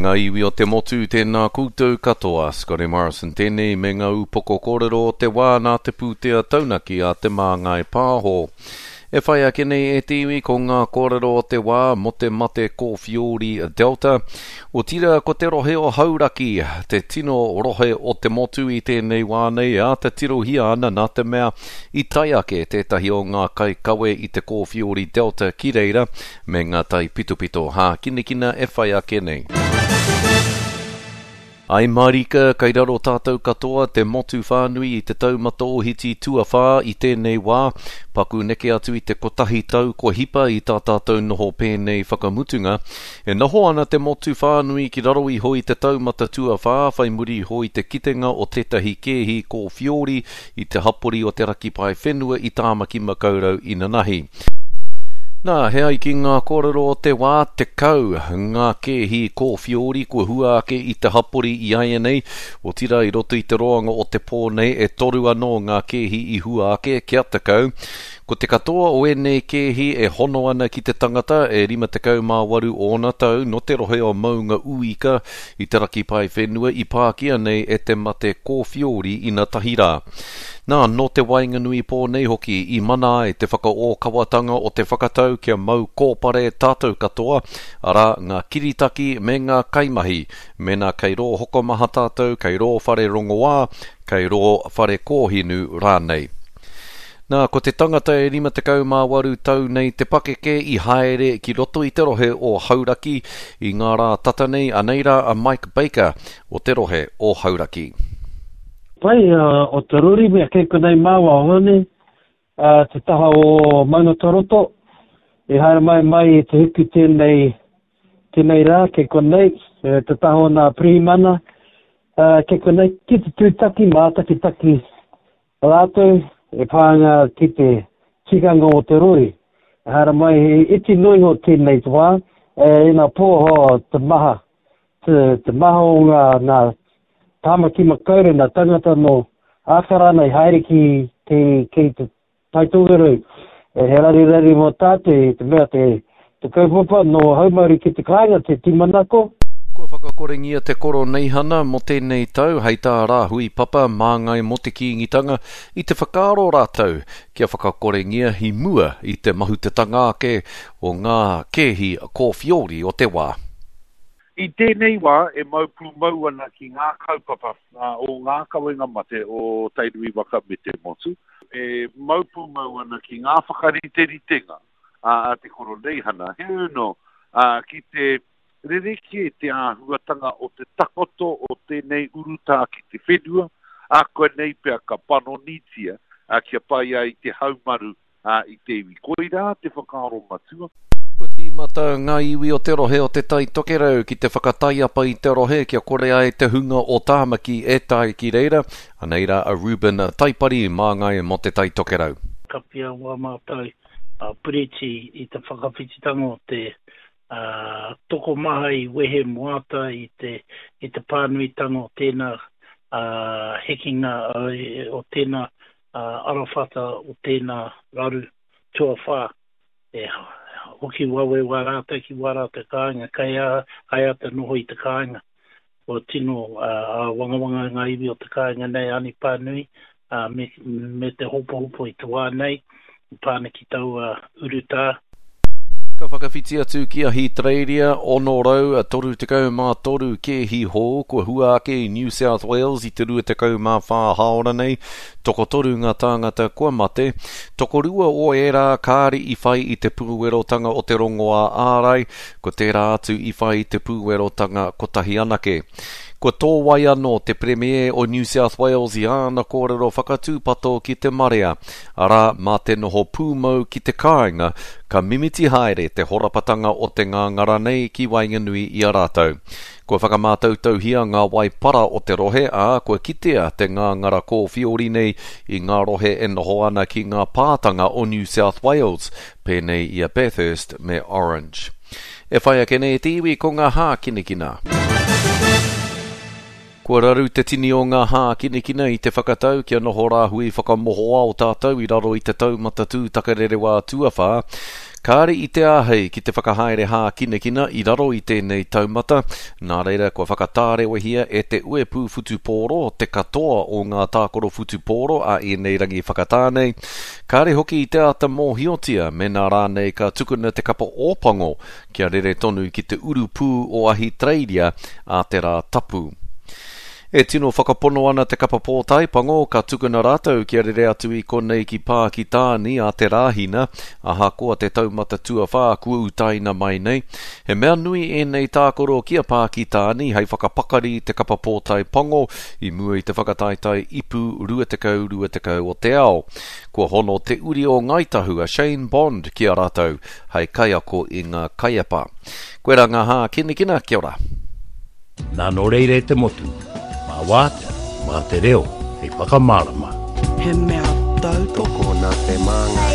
ngā iwi o te motu, tēnā koutou katoa. Scotty Morrison tēnei me ngā upoko kōrero o te wā nā te pūtea taunaki a Te Māngai Pāho. E whai ake nei e te iwi ko ngā kōrero o te wā mō te mate kōwhiori Delta, otirā ko te rohe o Hauraki te tino rohe o te motu i tēnei wā nei e āta tirohia ana nā te mea i tae ake tētahi o ngā kaikawe i te kōwhiori Delta ki reira me ngā taipitopito hākinakina e whai ake nei. Ai mārika, kei raro tātou katoa, te motu whānui i te taumata ohiti tuawhā i tēnei wā, paku neke atu i te kotahi tau kua hipa i tā tātou noho pēnei whakamutunga. E noho ana te motu whānui ki raro iho i te taumata tuawhā whai muri iho i te kitenga o tētahi kēhi kōwhiori i te hapori o te Raki Paewhenua i Tāmaki Makaurau inanahi. Nā, he ai ki ngā kōrero o te wā, 10 ngā kēhi kōwhiori kua hua ake i te hapori i āianei, otirā i roto i te roanga o te pō nei e toru anō ngā kēhi i hua ake, kia 10. Ko te katoa o ēnei kēhi e hono ana ki te tangata e 58 ōna tau nō te rohe o Maunga Uika i te raki paewhenua i pākia nei e te mate kōwhiori inatahi rā. Nā, nō te waenganui pō nei hoki i mana ai te whakaōkawatanga o te whakatau kia mau kōpare tātou katoa, arā, ngā kiritaki me ngā kaimahi, mēnā kei rō hokomaha tātou, kei rō whare rongoā, kei rō whare kōhinu rānei. Nā, ko te tangata e 58 tau nei te pakeke i haere ki roto i te rohe o Hauraki i ngā rā tata nei, anei rā a Mike Baker o te rohe o Hauraki. Pai o te rori mea kei konei māua o Hone, te taha o Maungataroto, i haere mai mai i te hiku tēnei, tēnei rā kei konei, te taha o nā pirihimana, kei konei ki te tūtaki, mātakitaki Rātou e pā ana ki te tikanga o te rori. Ehara mai he iti noa iho tēnei te wā, e ina pōho te maha, te, te maha o ngā, ngā Tāmaki Makaurau, ngā tangata nō Ākarana i haere ki, ki, ki te Tai Tokerau. E he raruraru mō tātou i te mea te, te kaupapa nō haumaru ki te kāinga te tūmanako. Kua whakakorengia te Koroneihana mō tēnei tau, hei tā Rāhui Papa, māngai mō te Kīngitanga, i te whakaaro rātou kia whakakorengia i mua i te mahutetanga ake o ngā kēhi kōwhiori o te wā. I tēnei wā e mau pūmau ana ki ngā kaupapa o ngā kawenga mate o Tainui waka me te motu, e mau pūmau ana ki ngā whakariteritenga a te Koroneihana, heoi anō, ki te Rerekē te āhuatanga o te takoto o tēnei urutā ki te whenua, ākuanei pea ka panonitia kia pai ai te haumaru i te iwi. Koirā te whakaaro matua. Kua tīmata ngā iwi o te rohe o Te Tai Tokerau ki te whakataiapa i te rohe kia kore ai te hunga o Tāmaki e tae ki reira. Anei rā a Reuben Taipari, māngai mō Te Tai Tokerau. Kapia wā mātou piriti i te whakawhititanga o te ā, tokomaha i wehe moata i te, i te pānuitanga o tēnā, ā, hekenga o tēnā, ā, arawhata o tēnā raru tuawhā. E hoki wawe wā rātou ki wā rātou kāinga, kei a, kai āta noho i te kāinga. Kua tino āwangawanga ngā iwi o te kāinga nei anipā nui, ā, me, me te hopohopo i te wā nei, i pā ana ki taua urutā. Ka whakawhiti atu ki Ahitereiria, 633 kēhi hou kua hua ake i New South Wales i te 24 hāora nei, tokotoru ngā tāngata kua mate, tokorua o ērā kāre i whai i te pūwerotanga o te rongoā ārai, Ko tērā atu i whai i te pūwerotanga kotahi anake. Kua tōwai anō te Premier o New South Wales i āna kōrero whakatūpato ki te marea, arā, mā te noho pūmau ki te kāinga, ka mimiti haere te horapatanga o te ngāngara nei ki waenganui i a rātou. Kua whakamātautauhia ngā wai para o te rohe, ā, kua kitea te ngāngara kōwhiori nei i ngā rohe e noho ana ki ngā pātanga o New South Wales, pēnei i a Bathurst me Orange. E whai ake nei te iwi ko ngā hākinakina. Kua raru te tini o ngā hākinakina i te whakatau kia noho rāhui whakamohoao tātou i raro i te taumata tūtakarerewā tuawhā. Kāre i te āhei ki te whakahaere hākinakina i raro i tēnei taumata, nā reira kua whakatārewahia e te uepū whutupōro te katoa o ngā tākaro whutupōro a ēnei rangi whakatā nei. Kāre hoki i te āta mōhiotia mēnā rānei ka tukuna te kapa Ōpango kia rere tonu ki te urupū o Ahitereiria ā te Rā Tapu. E tino whakapono ana te kapa pōtae pango ka tukuna rātou kia rere atu i konei ki Pākitāni a te Rāhina, ahakoa te taumata tuawhā kua utaina mai nei. He mea nui ēnei tākaro ki a Pākitāni hei whakapakari te kapa pōtae pango i mua i te whakataetae ipu 20 20 o te ao. Kua hono te uri o Ngāi Tahu a Shane Bond ki a rātou hei kaiako i ngā kaiapa. Koirā ngā hākinakina, kia ora. Nā nō reira e te motu, mā wātea, mā te reo hei whakamārama. He mea tautoko nā te māngai.